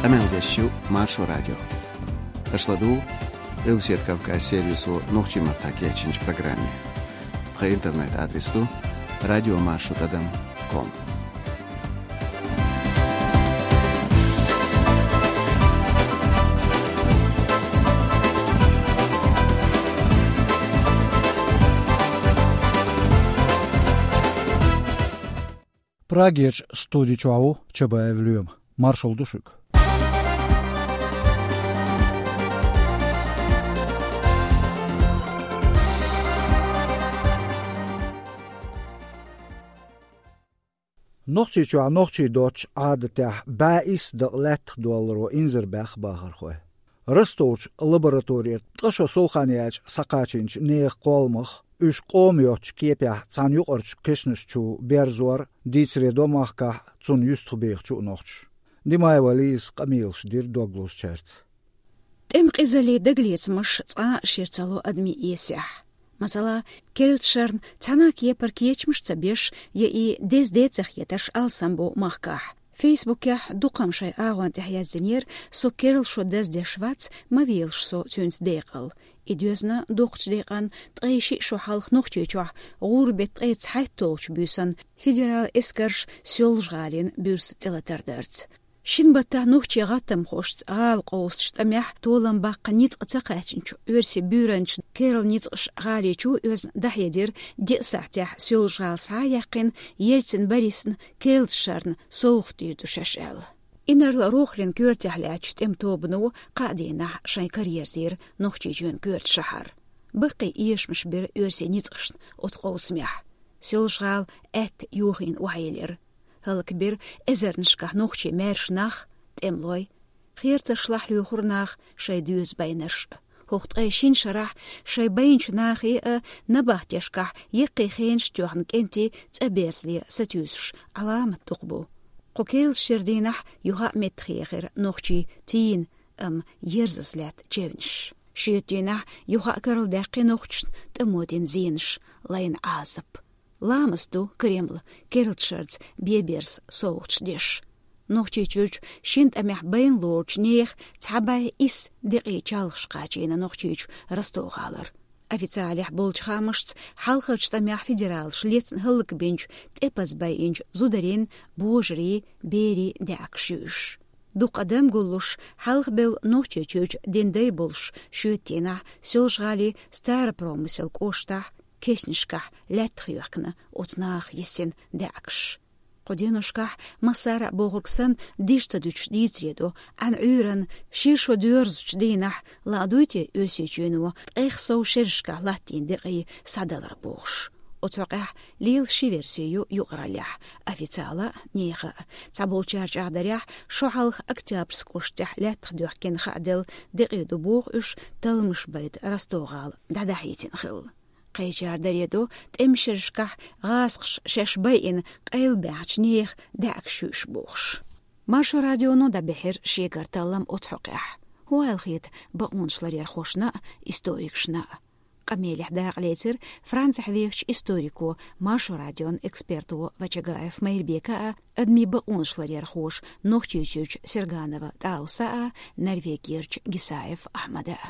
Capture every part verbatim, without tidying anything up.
Къамел деш ю Маршо радио. Аша ладугӀу Къилбаседа Кавказ сервисо нохчийн маттахь кечйинчу программе. Тхан интернет-адрес ду радио маршо тӀадам ком. Прагерчу студи чохь ву Чабаев Лоьма. Маршалла ду шуьга. Нохчийчохь нохчийн доцчу Ӏадатехь бӀе исс дакъа лаьттах долларо инзарбаьхна бахархой. Ростовчу лабораторера ткъа шо сов хан яьлча схьакхачийначу нехан кхолламах, уьш къоман йоцчу кепехь цхьана юкъарчу кешнаш чу берзор дийцаре до махкахь цунна юьстахбехачу а нохчаша. Димаева Лизас къамелаш дира дог лозучаьрца. ТӀеман къизаллин дагалецамаш цкъа а шира ца ло адамийн эсехь. Масала, керлачу шарна цхьана а кепара кечамаш а ца беш, я и деза де ца хетарш алсам бу махкахь. Фейсбукехь дукхам шайн агӀон тӀехь яздинера: «Со керла шо даздеш вац, ма велаш со цуьнца декъал». И доьзна дукхачу декъан ткъе шиъ шо хьалха Нохчийчохь гӀуран-беттан ткъе цхьайтталгӀачу буьйсанна федералан эскарша Соьлжа-ГӀалин буьрса тӀелатар дарца. Шина баттахь нохчийн гӀаттамхошца гӀала къовсучу тӀамехь толам баккха ницкъ ца кхаьчначу оьрсийн буьйранчин керла ницкъаша гӀали чу оьзна дӀахьедира диъ сахьтехь Соьлжа-ГӀала схьа а яьккхина, Ельцин Борисна керлачу шарна совгӀат дийр ду шаьш аьлла. Инарла-Рохалин коьртехь лаьттачу тӀеман тобано кхаа дийнахь шайн кара ерзийра Нохчийчоьнан коьрта шахьар. Баккхий эшамаш бира оьрсийн ницкъашна оцу къовсамехь. Соьлжа-ГӀала аьтта йохийна охьайиллира. ХӀаллакбира эзарнашкахь нохчийн маьрша нах, тӀемалой. Херцаршлахь лоьхура наха шайн доьза байнарш а. ХӀокху ткъе шина шарахь шайн байначу нахе а набахтешкахь яккхий хенаш тоьхна кӀентий цӀа берзале сатуьйсуш Ӏаламат дукха бу. Кху керлачу шеран дийнахь юха а меттахъехира нохчийн тийна, амма ерзаза лаьтта чевнаш. Шоьтан дийнахь юха а карладаьккхи нохчашна тӀамо дина зенаш, лайна Ӏазап. Ламаз ду Кремль керлачу шарца бен-берза совгӀаташ деш. Нохчийчуьрчу шина тӀамехь байна лоручу нехан цхьа бӀе исс декъий чалхаш кхачийна Нохчийчу Ростов-гӀалара. Официалехь болчу хаамашца, хьалхарчу тӀамехь федералаша лецна хӀаллакбинчу тӀепаза байинчу зударийн, божарийн, берийн даьӀахкаш ю уьш. Дукха адам гуллуш, хьалхабевлла Нохчийчуьрчу динан дай болуш, шоьтан дийнахь Соьлжа-ГӀалин Старопромыслан кӀоштахь кешнашкахь лаьттах йоьхкина оцу наха йисина даьӀахкаш. Кху деношкахь массара а бохург санна, диш ца дуьтуш дийцаре до, Ӏан Ӏуьйранна шира шо доьрзучу дийнахь ладугӀуй те Оьрсийчоьно ткъех сов шерашкахь латтийна декъий схьадалар бохуш. Оцу хьокъехь лела ши верси ю юкъараллехь, официала а, нехан а. Цхьаболчара чӀагӀдарехь, шо хьалха Октябрьск кӀоштахь лаьттах доьхкина хааделла декъий ду боху уьш талламаш байта Ростов-гӀала дӀадахьийтина хилла. Кхечара даре до, тӀеман шерашкахь гӀазкхаша шаьш байина къайлабаьхначу нехан даьӀахкаш ю уьш бохуш. Маршо радионо дӀабаьхьира шегара таллам оцу хьокъехь. ХӀун аьлла хета бакъонашларъярхошна а, историкашна а? Къамелехь дакъа лецира Францехь вехачу историко, Маршо радион эксперто Вачагаев Майрбека а, адамийн бакъонашларъярхоша Нохчийчуьрчу Серганова ТӀауса а, Норвегерчу Гисаев Ахьмада а.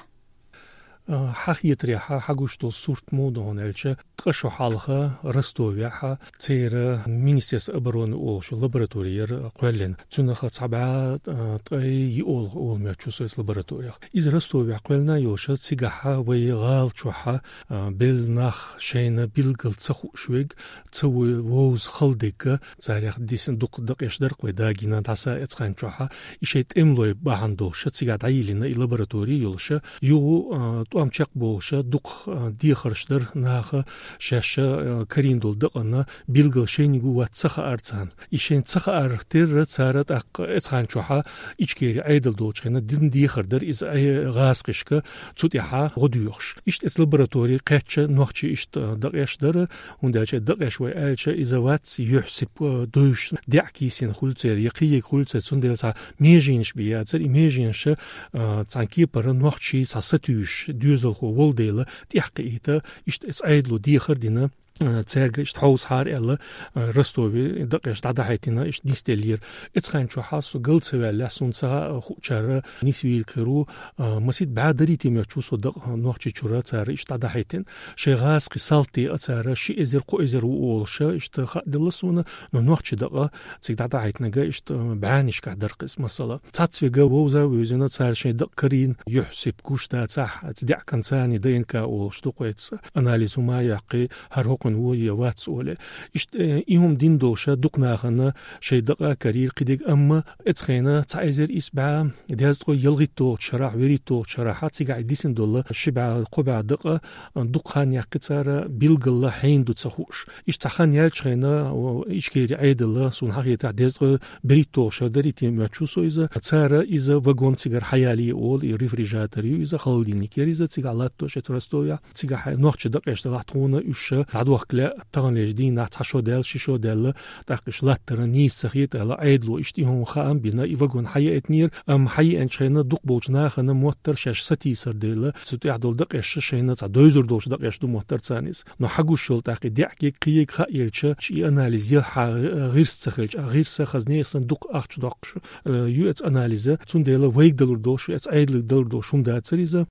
А, хьан хетарехь, хьан гуш долу сурт муха ду хьуна аьлча, ткъа шо хьалха Ростовехь церан Министерство обороны олуш лаборатори яра кхоьллина. Цунах цхьа бӀе, а, ткъе йиъ олу, олу моьтту со иза лабораторих. Иза Ростовехь кхоьллина йолуша, цигахь вай гӀала чохь, а, белла нах шайна билггал ца хууш верг, ца ву-, вовза хала дерг, царех дисина дукха дакъеш дара-кх вай дагийна дӀаса эцхьан чохь, и шайн тӀемалой бахьана долуша, цигахь дӀайиллина и лаборатори йолуша, юха, а, тӀом чекхболуша, дукха, а, дехарш дара наха шаьш, а, карийна долу дакъана билггал шайниг ву вац ца хаар царна. И шайна ца хаар терра цара тӀаккха эцхьан чохь Ичкери Ӏедал долчу хенна дина дехар дара иза Ӏе-, гӀазкхишка цу тӀехь гӀо доьхуш. Иштта эцу лаборатори кхаьчча нохчий иштта дакъеш дара, хӀунда аьлча дакъеш вай аьлча иза вац юьхь-сиб, а, дуьйш, даьӀахк йисина хуьлу церан, я кхин ерг хуьлу церан, цундела цхьа меженаш бен яцара, и меженаша, а, цхьана кепара нохчий цхьа сатуьйсуш, доьзалхо волу дела, тӀехь кхиийта, иштта эцу Ӏедало дехар дина. а, цаьрга иштта хьовсахьара аьлла, а, Ростове дакъеш дӀадахьийтина, иштта нисделлера. Эцхайн чухьа со гал ца ваьллехь, сона ца хуучара нисвийла хир ву, а, масит бӀаь дарий тӀе моьттуш ву со дакъа Нохчийчура цара иштта дӀадахьийтина. Шоай гӀазкхий салти а цара ши эзар, кхо эзар ву олуша, иштта хааделла сона, но нохчий дакъа цига дӀадахьийтинарг иштта бӀаьннашкахь дара-кх иза, масала. Цхьацца вега вовза а вевзина, цара шоай дакъа карийна, юьхь-сип гуш дацахь, цу даьккхина царна ДНК олуш ду-кх вай цу анализ хӀума а яьккхи, хӀара хӀокхуьнан ву я вац олий. Иштта, э, и хӀума дина долуша дукха нахана шоай дакъа а карийра кхидерг, амма эцхайна цхьа эзар исс бӀаь дезткъе ялхитталгӀачу шарахь, вуьрхӀитталгӀачу шарахь цигахь дисина долу ши бӀаь, кхо бӀаь дакъа дукха хан яьккхи цара, билггала хьенан ду ца хууш. Иштта цхьа хан яьлча хенахь, о, Ичкерин Ӏедал, суна хьахетарехь, дезткъе берхӀитталгӀа шо дарий тӀе моьттуш ву со иза. Цара иза вагон цигара хьаялае олу, и рефрижератор ю иза, холодильник яра иза, цигахь латтош эцу Ростовехь. Цигахь нохчий дакъеш далахь, тхуна уьш дӀадохка лаьа, таханлерчу дийнахь цхьа шо даьлла, ши шо даьлла, тӀаккха уьш латтара нийса ца хета аьлла, Ӏедало иштта и хӀума хаам бина, и вагон хьаеъийтинера, амма хьаеъинчу хенахь дукха болчу нахана моттара шаьш сатийсар дела, цу тӀехь долу дакъеш шайна цхьа девзар долчу дакъеш ду моттара царна иза. Но хьагуш йолу тӀаккха и даьӀахк, кхиерг хааелча, и анализ я хьан гӀирс ца хилча, а гӀирс хаза нехан санна дукха ахча доккхуш, э, ю эцу анализа. Цундела вайга далур долуш, эцу Ӏедалга далур долуш хӀума дацара иза.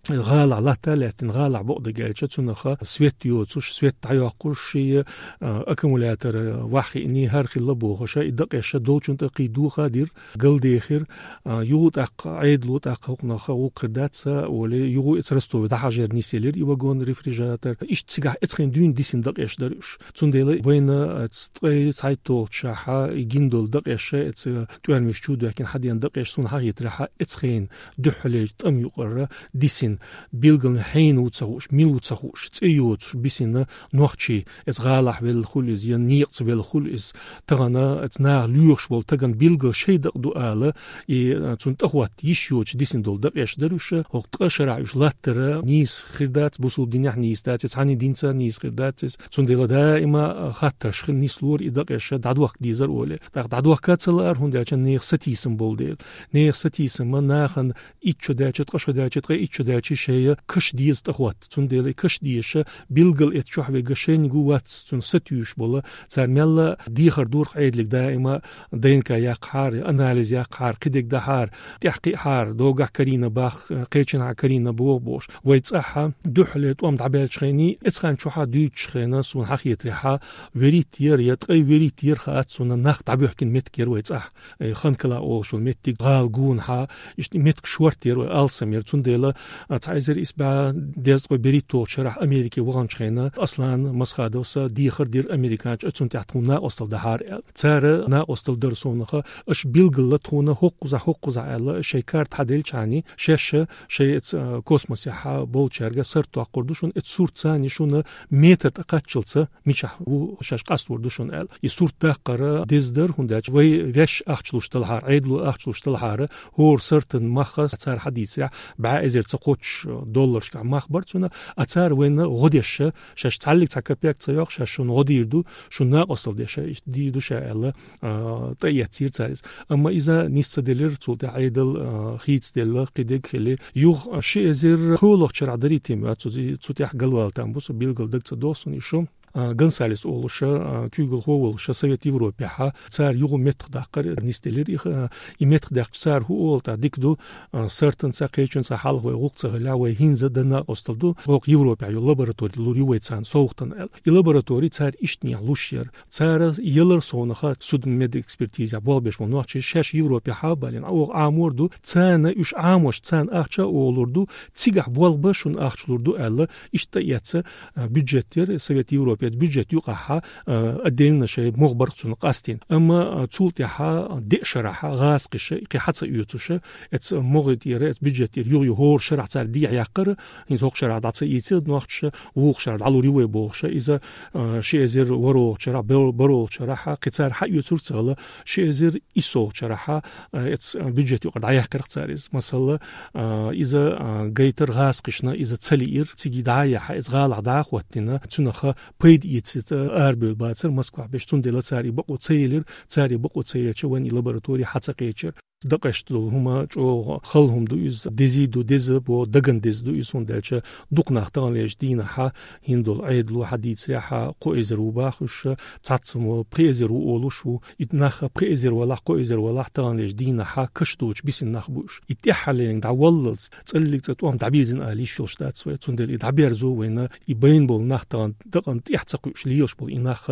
ГӀалахь латта а лаьттина, гӀалахь бакъдерг аьлча, цунах свет йоцуш, свет дӀайоккхуш, шен, а, аккумулятор ваххиъний, хӀара хилла бохуша, и дакъеш долчунна тӀе кхин доха а дира, галдехира, а, юха тӀаккха, Ӏедало тӀаккха хӀокхунах гӀуллакх хир дац олий, юха эцу Ростове дӀахьажар нисъелира и вагон-рефрижератор. Иштта цигахь эцхайна дуьйна дисина дакъеш дара уьш. Цундела вайна, а, ткъе цхьайтталгӀачу шарахь и гина долу дакъеш, эцу тӀоьрмаш чу доьхкина хьадеана дакъеш, суна хьахетарехь, эцхайна дуьххьарлерчу тӀам юкъара дисина, билггала хьенан ву ца хууш, мила ву ца хууш, цӀе йоцуш бисина нохчий, эцу гӀалахь велла хуьлу иза, я некъаца велла хуьлу иза. Тахана эцу наха лоьхуш болу тагана билггала шайн дакъа ду ала, и, а, цунна тӀахӀотта йиш йоцуш дисина долу дакъеш дара уьш. ХӀокху ткъа шарахь уьш латтара нийса хир дац, бусулба динехь нийса дац иза, цхьанна динца нийса хир дац иза. Цундела даима, а, хаттарш хила нислора и дакъеш дӀадохка дезара олий. ТӀаккха дӀадохка ца лаара, хӀунда аьлча нехан сатийсам болу дела. Нехан сатийсама нахана итт шо даьлча, ткъа шо даьлча, ткъе итт шо даьлча шайн каш деза тӀахӀотта. Цундела и каш дезаш, билггала эцу чохь вега шайниг ву вац, цунна сатуьйсуш болу. Цара мелла дехар дора-кх Ӏедалга даима, ДНК яккхахьара, анализ яккхахьара, кхидерг дахьара, тӀаьхьакхиахьара, догахь карийна бах, кхечанхьа карийна боху бохуш. Вай цӀахь дуьххьарлера тӀом дӀабаьллачу хенахь, эцхайна чухьа дуьйцучу хенахь, суна хьахетарехь, вуьрхӀитта яра, я ткъе вуьрхӀитта яра хаьа цунна, нах дӀабоьхкина меттиг яра вай цӀахь. Э, Ханкала олуш йолу меттиг, гӀала гонахьа, иштта меттиг шортта яра вай, алсам яра. Цундела, а, цхьа эзар исс бӀаь дезткъе берхӀитталгӀачу шарахь Америке ваханчу хенахь Аслан Масхадовс дехар дира американчу, цунна тӀехь тхуна накъосталла дахьара аьлла. Цара накъосталла дара совнаха, аша билггала тхуна хӀокхузахь, хӀокхузахь аьлла, шайн карта хьаделлачхьана, шаьш шайн эцу, а, космосехь болчаьрга сурт доккхур ду шуна, эцу суртаца шуна метр тӀе кхаччалца мичахь ву шаьш къастор ду шуна аьлла. И сурт даккхар деза дара, хӀунда аьлча вай ваьш ахча луш талхьара, Ӏедало ахча луш талхьара, хӀора суртан мах цара хьадийцарехь, бӀе эзар ца кхоччуш долларшкахь мах бара цуьнан, а цара вайна гӀо деш, шаьш цхьаллиг цхьа капек ца йоккху, шаьш шуна гӀо дийр ду, шуна накъосталла деш, иштта дийр ду ша аьлла, а, тӀеэцира цара иза. Амма иза нис ца делира, цул тӀаьхьа Ӏедал, а, хийцаделла, кхидерг хили. Юха ши эзар кхоалгӀачу шарахь дарий тӀе моьттуш ву со, цу тӀехь галвала там бу со, билггала дага ца догӀу суна и шо. А, Гонсалес олуша, а, куьйгалхо волуша Совет Европехьа, цара юха меттах даккхар нисделира. И, а, и меттах даьккхича цара хӀун олу тӀаккха, дика ду, а, суртанца, кхечуьнца хьалха вай гӀуллакх ца хилахь, вай хӀинца дан накъосталла ду, хӀокху Европехь йолу лаборатори лур ю вай царна совгӀатана аьлла. И лаборатори цара иштанехь луш яра. Цара ялар совнаха судмедэкспертизехь болх беш болу нохчий шаьш Европехьа а балийна, оха Ӏамор ду, царна уьш Ӏамош, царна ахча а оха лур ду, цигахь болх бан шуна ахча лур ду аьлла, иштта эцна, а, бюджет яра, Совет Европе бюджет юкъахьа, а, отдельно шайн могӀа бара цунна къастийна. Амма, а, цул тӀаьхьа деа шарахьа гӀазкхиша, кхин хьа ца оьцуша, эцу могӀа тӀера, эцу бюджет тӀера юха-юха хӀора шарахь цара дехьа яьккхара, хӀинца хӀокху шарахь дӀа ца ийцира нохчаша, вукху шарахь дӀалур ю вай бохуша, иза, а, ши эзар ворхӀалгӀачу шарахь, бер-, бархӀалгӀачу шарахьа, кхин цара хьаоьцур ца хилла, ши эзар иссолгӀачу шарахьа, а, эцу бюджет юкъара дӀаяьккхира-кх цара иза. Масала, а, иза, а, гайтар гӀазкхишна, иза ца лиира, цига дӀа а яхьа, иза гӀалахь дӀа а хӀоттийна, цуьнах пайда эцийта арабевлла бацара Москвахь берш, цундела цара и бакъо ца елира, цара и бакъо ца елча, вайн и лаборатори хьа ца кхечира. Дакъашта долу хӀума чӀогӀа хала хӀума ду иза, дезий ду, деза бо, даган деза ду иза, хӀунда аьлча дукха нах таханлерчу дийнахьа хӀинца долу Ӏедало хьадийцарехьа, кхо эзар ву бохуш, цхьацца мо пхи эзар ву олуш ву. И нах пхи эзар валахь, кхо эзар валахь, таханлерчу дийнахьа каш доцуш бисина нах бу уьш. И тӀаьххьарлерниг дӀаваллалц, цӀаллиг цӀа тӀом дӀабирзина ала йиш йолуш дац вай. Цундела и дӀаберзо вайна, и байна болу нах тахана дакъана тӀехь ца кхуьуш лелаш болу и нах,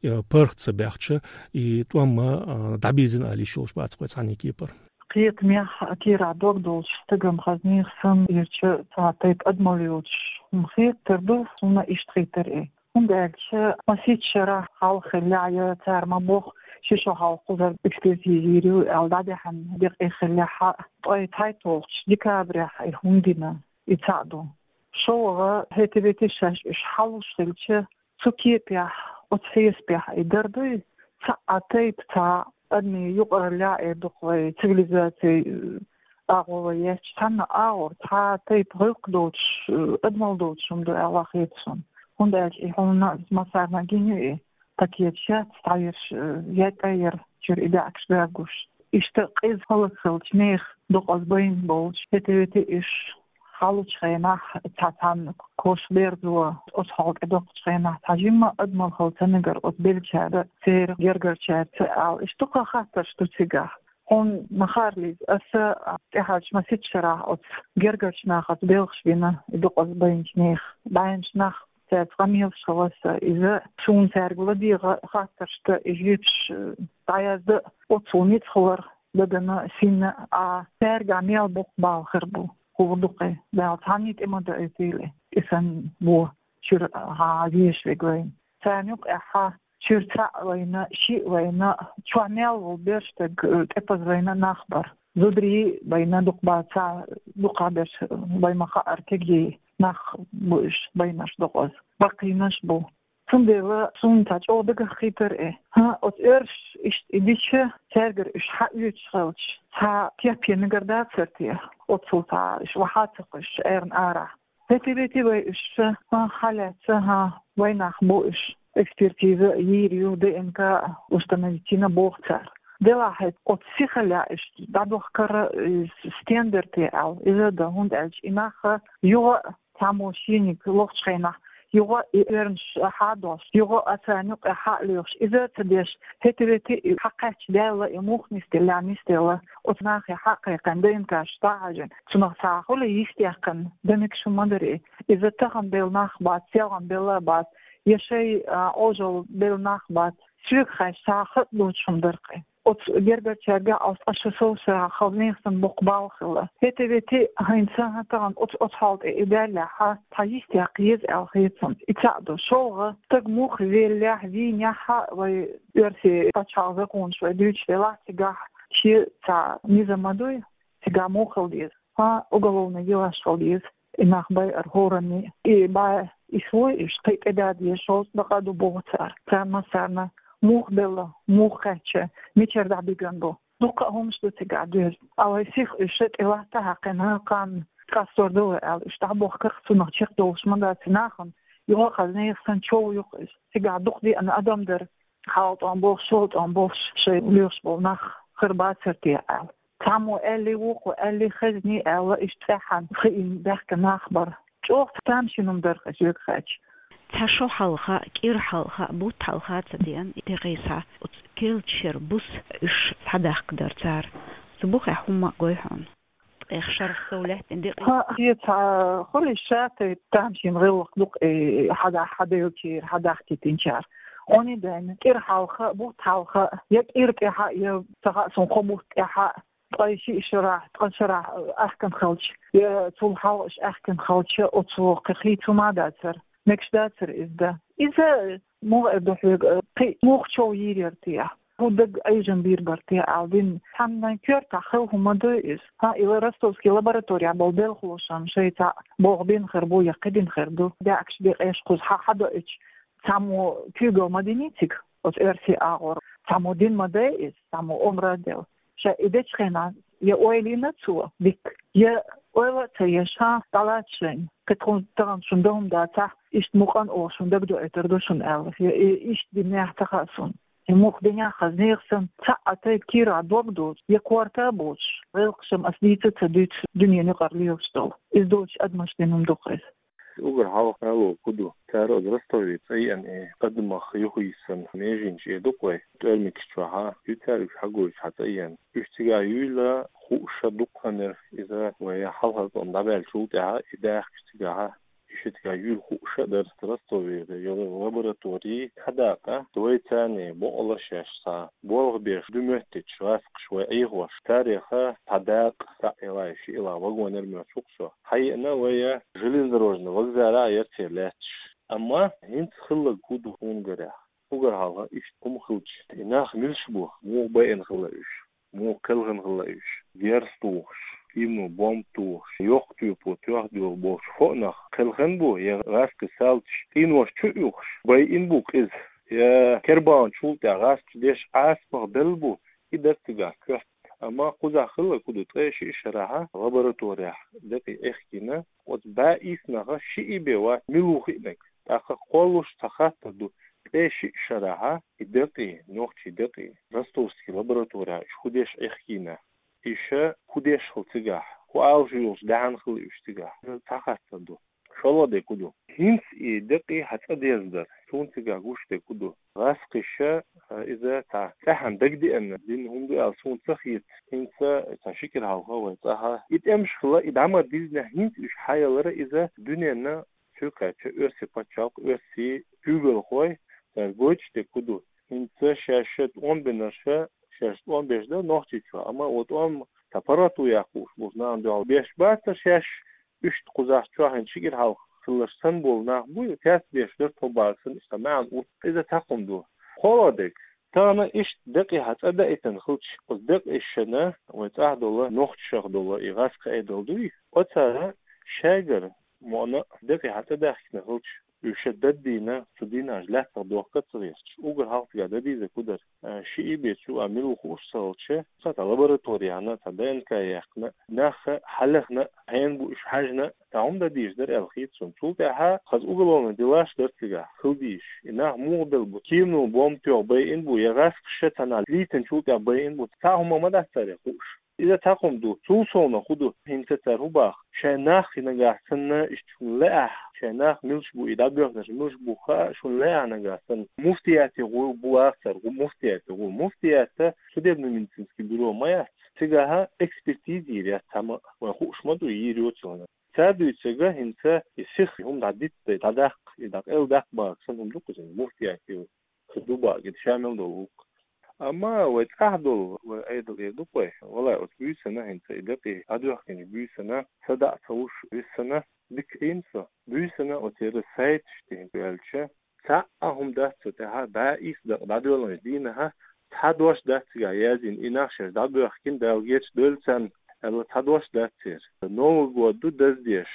э, паргӀат ца баьхча, и тӀом, а, дӀабирзина ала йиш йолуш бац вай цхьанна кепара. Кхетамехь, кийрахь дог долчу стагана хазнех санна, ирча цхьа тайпа адамалла йоцуш хӀума хетар ду, хӀума иштта хетар и. ХӀунда аьлча масех шарахь хьалха хиллехь, я цара ма боху, ши шо хьалха кхузара экспертиза йийр ю аьлла, дӀадаьхьна декъе хиллехь, ткъе цхьайтталгӀачу декабрехь и хӀума дина, и цхьаъ ду. ШолгӀа, хӀета-вета шаьш уьш хьалуш хилча, цу кепехь, оцу хьесапехь и дар дуй, цхьа а тайпа, цхьа адамийн юкъараллехь эр ду-кх вай цивилизаци, э, агӀо вай етташ, цхьанна агӀор цхьа а тайпа гӀиллакх доцуш, э, адамалла доцуш хӀума ду аьлла хета суна. ХӀунда аьлча и хьуна массарна гина ю и, пакет шаьц дӀаерш, э, яйтӀа яр чуьра и даьӀахкаш баьргуш. Иштта къиза хӀаллакьхилча нехан докъаза байна болчу, хӀета-вета уьш хьалучу хенахь цхьа цхьанна кош берзо, оцу хьал тӀедоккхучу хенахь цхьа жимма адамалла хала ца мегар оцу беллачара, церан гергарчаьрца аьлла. Иштта дуккха хаттарш ду цигахь. Хьуна ма-харра, Лиза, аса тӀаьхьарчу масех шарахь оцу гергарчу нахаца белхаш бина, и докъаза байначу нехан, байначу нах, цаьрца къамелаш хилла аса, иза суна цаьрга ладегӀа хаттарш дан, и жуьгташ дӀаяздан, оццул ницкъ хилар дагана, синна а, цаьрга мел боккха бала хир бу. ХӀун ду-кх и? Дала цхьанна тӀе ма даийтийла и санна бо чуьра хьан везаш верг вайна. Царна юкъахь чуьра цхьаъ вайна, шиъ вайна, чохь мел волу берш стаг, э, тӀепаза вайна нах бара. Зударий вайна дукха бац, дукха берш вай ма-хаара кегий нах бу уьш, байнарш докъаза. Баккхийнаш бу. Цундела суна цхьа чӀогӀа дагах хийтар и. ХӀан, оцу оьрсаша иштта и дича, цаьргара уьш хьаоьцуш хилча, цхьа кеп ян мегар дацара те? Оццул цхьа уьш вахьа а ца кхуьссуш, эрна арахь. ХӀета-вета вай уьш, хӀан, хьалаьцна, хӀан, вай нах бу уьш. Экспертиза йийр ю, ДНК установить йина боху цара. Делахь хӀета оцу сихаллехь уьш дӀадохкар, э, стендер те аьлла, иза дан, хӀунда аьлча и нах юха цхьаммо шениг лохучу хенахь, юха и оьрнаш хьадолуш, юха а царна юкъе хьа а лоьхуш, иза а ца деш, хӀета-вета и хьакхаьчча даьлла, и муха нисделла, нисделла, оцу нахе хьа а кхайкхина, ДНК-ш дӀа а хьажийна, цунах цхьа хуьлу йистехкана дан мегаш хӀума ма дара и. Иза тахана белла нах бац, селхана белла а бац, я шайн, а, Ӏожалла белла нах бац, соьга хаьттича, цхьа хатӀ доцуш хӀума дара-кх и. Оцу гергарчаьрга, оцу ткъа шо сов шарахь хазнех санна боккха бала хилла. ХӀета-вета хӀинца, хӀан, тахана оцу, оцу хьал тӀе и даьллехь, цхьа йистехка еза аьлла хета суна. И цхьаъ ду. ШолгӀа, стаг муха веллехь, вийнехь а, вай оьрсийн пачхьалкхан законаш вай дуьйцуш делахь, цигахь шен цхьа низам ма дуй, цигахь муха хила деза? ХӀан, уголовный делаш хила деза. И нах байар хӀоранна, и бӀе исс вуй уьш, кхин тӀеда дезаш, шовзткъа дакъа ду боху цара. Царна массарна муха белла, муха кхаьчна, мичара дӀабигна бу. Дуккха а хӀуманаш ду цигахь доьзна. Ткъа вай сиха уьш тӀелатта хьаькхина, кхана къастор ду вай аьлла, уьш дӀабохкарх, цунах чекхдолуш ма дац и нахана, юха а хазнех санна чов ю-кх иза. Цигахь дукха деана адам дара, хьалатӀом болуш, шолатӀом болуш, шайн лоьхуш болу нах хир бацара те аьлла. Цхьаммо аьллий, вукхо аьллий, хезний аьлла, иштта цӀеххьана хиъна баьхкина нах бара. ЧӀогӀа тамашийна хӀума дара-кх иза, соьга хаьттича. Цхьа шо хьалха, кӀира хьалха, бутт хьалха ца деана, декъий схьа оцу керлачу шеран буса уьш схьадахка дара цара. Цу бухахь хӀумма а гой хьуна? Ткъех шарахь сов лаьттина декъий. ХӀан, иза цхьа хуьлу ша тайпа тамашийна гӀиллакх ду-кх и, хьада-, хьаделлачара, хьадахкийтинчара. Хьуна дайна, кӀира хьалха, бутт хьалха, я кӀира тӀехьа, я ца хаьа суна кхо бутт тӀехьа, ткъе шиъ шарахь, ткъа шарахь аьхкина хилча, я цул хьалха уьш аьхкина хилча, оцу кхин хийца хӀума а дацара. Мегаш дацара иза дан. Иза муха эр ду хьоьга, кхин муха чов йийр яра те? ХӀун дага Ӏийжам бийр бара те аьлла дина. Цхьанна коьртахь хила хӀума ма ду иза. ХӀан, и ростовский лабораторехь болу белхалошна шайн цхьаъ болх бина хир бу, я кхин бина хир ду. ДаьӀахкаш, декъеш кхуза хьа-, хьадоуьйтуш, цхьаммо куьйгалла ма диний цига, оцу оьрсийн агӀор. Цхьаммо дина ма дай иза, цхьаммо омра а делла. Ша и дечу хенахь я ойла йина цо дика, я ойла а ца еш, хӀан, дӀалаца шайна, кхин тхуна тахана шуна дан хӀума дацахь, иштта мукъана оха шуна дагадоуьйтур ду шуна аьлла, я и иштта динехь ца хаьа суна. И мух динехь хаза нехан санна, цхьа а тайпа кийрахь дог доцуш, я корта а боцуш, гӀиллакхаш-м ас дийца а ца дуьйцуш, дуьненан юкъара лелаш долу. Иза доцуш адамашна дина хӀума ду-кх иза. Уггар хьалха ало хӀун ду, цара оцу Ростове цӀа еана и адамах юхайиссина меженаш эр ду-кх вай, тӀоьрмигаш чохь а ю цара уьш хьагуьйцуш хьан цӀа еана. Уьш цигахь юйла хууш а дукха хан яра иза, вай хьалхара тӀом дӀабаьллачул тӀаьхьа и дахкаш цигахь а. И ши цигахь юйла хууш а дара Ростовера йолу лаборатори, цхьа дакъа, вай царна бокъала шаьш цхьа болх беш ду моьттуьйтуш гӀазкхаша вай Ӏехош. Царех цхьа дакъа, цхьаъ йолу, шиъ йолу вагонера моьттуш ву-кх со. Хьаеана вай железнодорожный вокзалехь яра церан лаьтташ. Амма хӀинца хилларг хӀун ду хӀун гарехь? Уггар хьалха иштта хӀума хилча, и нах милаш бу, муха байина хилла уьш, муха кхелхина хилла уьш, герз тухуш, киманан бомба тухуш, йоккха тоьпо тоьхна долу болчу хӀокху нах кхелхина бу, я гӀазкхий салташа къинош чу а юхуш, байина бу къиза, я кербалчул тӀаьхьа гӀазкхаша деш Ӏазапах белла бу, и дара цигахь коьрта. Амма кхузахь хилларг хӀун ду, ткъе шиъ шарахь лабораторехь декъий Ӏехкийна, оцу бӀе исс нахах шиъ бен вац мила ву хиънарг. ТӀаккха кхоллалуш цхьа хаттар ду, ткъе шиъ шарахь и декъий, нохчийн декъий, ростовский лабораторехь уьш хӀун деш Ӏехкийна? Уьш хӀун деш хилла цигахь? ХӀун алуш йолуш даьхьна хилла уьш цигахь? Иза цхьа хаттар ду. ШолгӀа дерг хӀун ду? ХӀинца и декъий хьан цӀа дезна дара. Суна цигахь гуш дерг хӀун ду? ГӀазкхаша, а, иза цхьа цӀеххьана дагадеана дина хӀума ду аьлла суна ца хета. ХӀинца цхьа ши кӀира хьалха вай цӀахь и тӀемаш хилла, и дӀа ма-дизнехь, хӀинца уьш хьаялара иза дуьненна цуьнга кхаьчна оьрсийн пачхьалкх, оьрсийн куьйгалхой, цара гойтуш дерг хӀун ду? ХӀинца шаьш тӀом бинарш, шаьш тӀом беш дара Нохчийчохь, амма оцу тӀом цхьа паргӀато яккха хууш болчу нахана дуьхьал беш бацара шаьш, иштта кхузахь чохь хӀинца ши кӀира хьалха хилларш санна болу нах бу, цаьрца беш дара тхо бахарш санна, иштта маьӀна уьтту, иза цхьа хӀума ду. КхоалгӀа дерг, тахана иштта декъий хьан цӀа даийтина хилча, оцу декъашна, вай цӀахь долу, нохчашах долу и гӀазкхийн Ӏедал дуй, оцара шайгара мукъана а декъий хьан цӀа даьхкина хилча, уьш ша даддийна, цу дийнахь лаьттах дохка а ца гӀерташ, уггар хьалха цигахь дан дезарг хӀун дара? А, шиъ бен цу а мила ву хууш ца хилча, цхьа цхьа лаборатори яьхна, цхьа Д Н К яьккхина, нах хьалехна, хьенан бу уьш хьаьжна, цхьа хӀума дан дезаш дара аьлла хета суна. Цул тӀаьхьа хаза уголовный делаш дара цигахь, хила дезаш. И нах муха белла бу? Киманан бомба тоьхна байина бу, я гӀазкхаша цхьана лийтинчул тӀаьхьа байина бу? Цхьа хӀума ма дац царех хууш. Иза цхьа хӀума ду. Цул совнаха хӀун ду? ХӀинца цара хӀун боху? Шайн нах и нагахь санна, иштта шуна лаахь, шайн нах милаш бу, и дӀабоьхнарш милаш бу хаа шуна лаахь нагахь санна, муфтияте гӀур бу боху цара, гӀу-, муфтияте гӀур. Муфтият судебно-медицинский бюро ма яц. Цигахь экспертиза йийр яц цхьамма а, вайн хууш ма ду, йийр йоцург. Цара дуьйцург хӀинца и сиха хӀума дӀадитта, дӀадаккха, и дӀакъайладаккха бохург санна хӀума ду-кх иза, муфтияте ю. Шу ду бакъ, и шамил долу ву-кх. Амма вай цӀахь долу, вай Ӏедал эр ду-кх вай. Валлай, оцу буьйсанна хӀинца и декъий дӀадоьхкинчу буьйсанна, садаӀа ца луш виссана, дика Ӏийна со. Буьйсанна оцеран сайташ тӀе хӀинца ваьлча, цхьа а хӀума дац цу тӀехь, бӀе исс дакъа дӀадоьллинчу дийнахь, цхьа дош дац цигахь яздина, и нах шаьш дӀабоьхкина, Дала гечдойла царна, аьлла, цхьа дош дац церан. Новый год ду даздеш,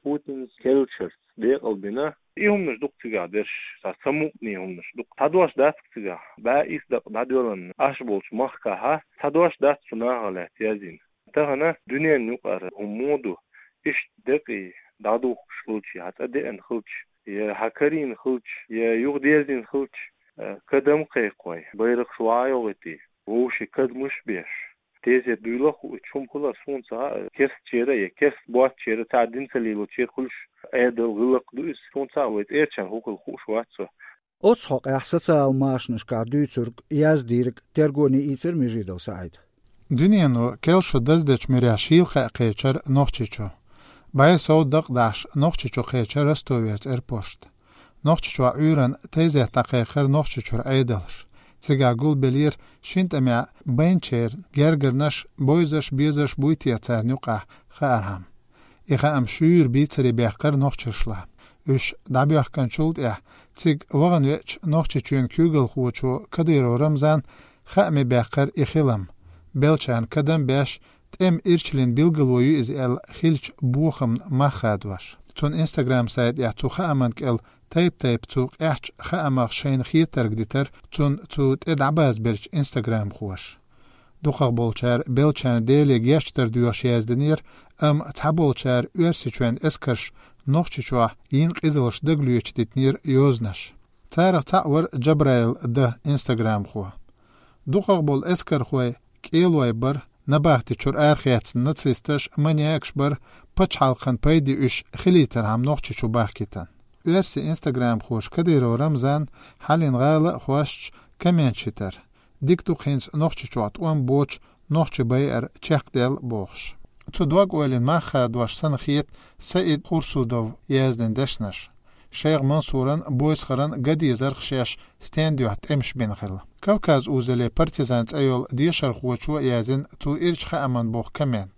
Путинс керлачуьра декъал бина. И хӀуманаш ду-кх цигахь дерш, цхьа самукъане хӀуманаш ду-кх. Цхьа дош дац-кх цигахь, бӀе исс дакъа дӀадоьллина Ӏаш болчу махкахь, цхьа дош дац цу нахах лаьцна яздина. Тахана дуьненан юкъара хӀума муха ду, иштта декъий дӀадухкуш хилчий, хьан цӀа деана хилча, я хьан карийна хилча, я юха дезийна хилча, э, кадам кхайкхой, байракхаш вахьа йогӀуьйтий, вовшийн кадамаш беш. Тезет дуйла а хууш, хӀума хилар суна ца хаьа, керстачеран я керста боцчеран, цхьа дин ца лелочеран хуьлуш Ӏедал, гӀиллакх ду иза, суна ца хаьа, вай цӀерачарна хӀун хилла хууш вац со. Оццу хьокъехь социал машанашкахь дуьйцург, яздийриг тергоне ийцира Межидов СаӀида. Дуьнено кел шу даздечу муьрехь шийла хаьа кхечира Нохчийчу. БӀе сов дакъа дахьаш Нохчийчу кхечира Ростовера цӀерпошта. Нохчийчохь Ӏуьйранна тезет дӀакхайкхира Нохчийчуьра Ӏедалша. Цигахь гулбеллера шина тӀамехь байначеран гергарнаш, бовзарш, безарш буй те царна юкъахь хаархьама. И хаам шуьйра бийцаре баьккхира нохчашлахь. Уьш дӀабоьхкинчул тӀаьхьа цига вахана веача Нохчийчоьнан куьйгалхочо Кадыров Рамзана хааме баьккхира и хилам, беллачарна кадам беш, тӀеман ирчаллин билгало ю иза аьлла хиллачу бохамна мах хадош. Цуьнан Instagram сайтехь цу хааман кӀел тайп-тайпа цу къаьхьачу хаамах шайна хетарг дитира цунна цу тӀе дӀабазбеллачу Instagram-хоша. Дукхахболчара беллачарна Деле гечдар доьхуш яздинера, амма цхьаболчара Оьрсийчоьнан эскарша Нохчийчохь йина къизаллаш дагалоьцуш дитинера йозанаш. Царах цхьаъ вара Джабраил Д, инстаграмхо. ДукхагӀа болу эскархой кӀелой бара, набахти чуьра арахецна нацисташ, маньякаш бара, пачхьалкхан пайде уьш хилийтархьама Нохчийчу бахкийтина. Оьрсийн инстаграмхоша Кадыров Рамзан хьалин гӀала а хьоьстуш комменташ йитира. Дика ду-кх хӀинца Нохчийчохь тӀом боцуш нохчийн байар чекхдаьлла бохуш. Цу дог-ойланна мах хадош санна хета Саид Хурсудов яздина дешнаш. Шайх Мансуран, Бойсхаран ган дезарх шаьш стенна дуьхьа тӀемаш бина хилла. Кавказ-Узале партизан цӀе йолу дешархочо яздина цу ирчу хааман боху коммент.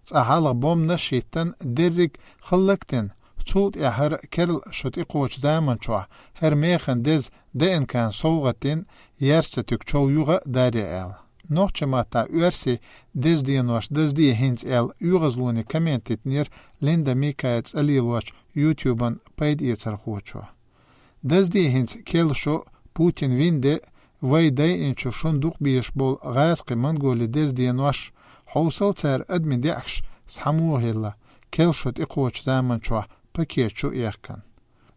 Цкъа хьалха бомбанаш хӀиттина, дерриг хӀаллакдина, цул тӀаьхьа хӀара керла шо тӀекхочу заманчохь хӀара механа деза ДНК-н совгӀат дина, яьржа ца туьгу чов юха а дарий аьлла. Нохчийн маттахь оьрсийн деза денош дазде хӀинца аьлла оьгӀазлоне коммент йитинера Линда Микая цӀе лелочу YouTube-ан пайдаэцархочо. Дазде хӀинца керла шо, Путин вин де, вай дайинчу шуна дукха безаш болу гӀазкхи-монголи деза денош, хьовсал цара адамийн даьӀахкаш схьамогӀа хилла, керла шо тӀекхочу заманчохь пакет чу а яьккхина.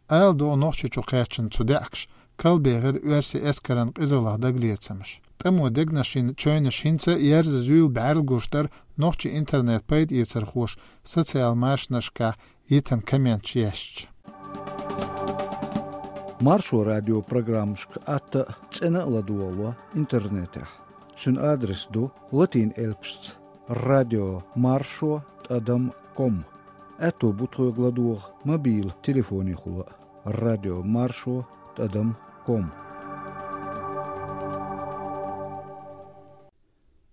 Ала догӀу Нохчийчу кхаьчна цу даьӀахкаша калбехира оьрсийн эскаран къизаллах дагалецамаш. ТӀамо дегнаш йина чевнаш хӀинца а яьржа зуьйла бӀаьрла гуш дара нохчийн интернет-пайдаэцархоша социал машанашкахь йитина комменташ ешча. Маршо радио программашка атта а, цӀена а ладогӀало интернетехь. Цуьнан адрес ду латин элпашца: радио маршо тӀадам ком. Аьтто бу тхоьга ладогӀа мобил телефонехула а: радио маршо тӀадам ком.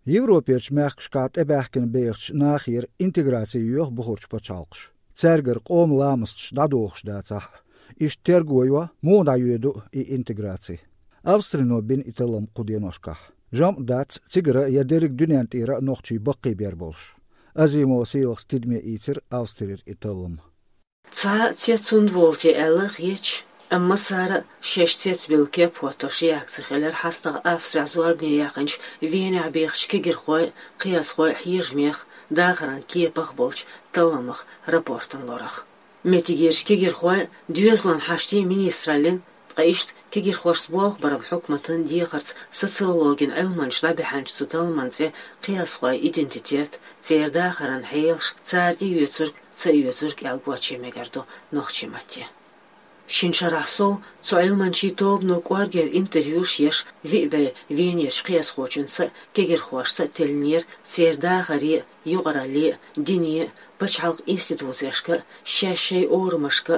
Европерчу мехкашкахь тӀебаьхкина бехачу нахера интеграци йоьху бухарчу пачхьалкхаша. Цаьргара къоман ламасташ дӀадохуш дацахь а, иштта терго йо, муха дӀайоьду и интеграци. Австрино бина и таллам кху деношкахь. ЖамӀ дац цигара я дерриг дуьнен тӀера а нохчий баккхийбер болуш. Азимова Сийлахас тидаме ийцира Австрера и таллам. Цхьа а цец хӀунда волу те аьлла а хеташ, амма цара а шаьш цецбелла кеп хӀоттош реакци хилира хьастагӀа Австрехь зорбане яьккхинчу Венехь бехачу кегирхойн а, кхиазхойн а хьежамех, дахаран кепах а болчу талламах, рапортан лорах. Меттигерчу кегирхойн а, доьзалан хьаштийн министраллин а, ткъа иштта кегирхошца болх баран хьукматан дехарца социологин Ӏилманчаша дӀабаьхьначу цу талламан цӀе кхиазхойн идентитет, церан дахаран хьелаш, цара тӀеоьцург, ца оьцург аьлла гоче мегар ду нохчийн матте. Шина шарахь сов цу Ӏилманчийн тобано кӀоргера интервьюш еш, виъ бӀе Венерчу кхиазхочуьнца а, кегирхошца а теллинера церан дахаре а, юкъаралле а, дине а, пачхьалкхан институцешка а, шаьш шайн орамашка а,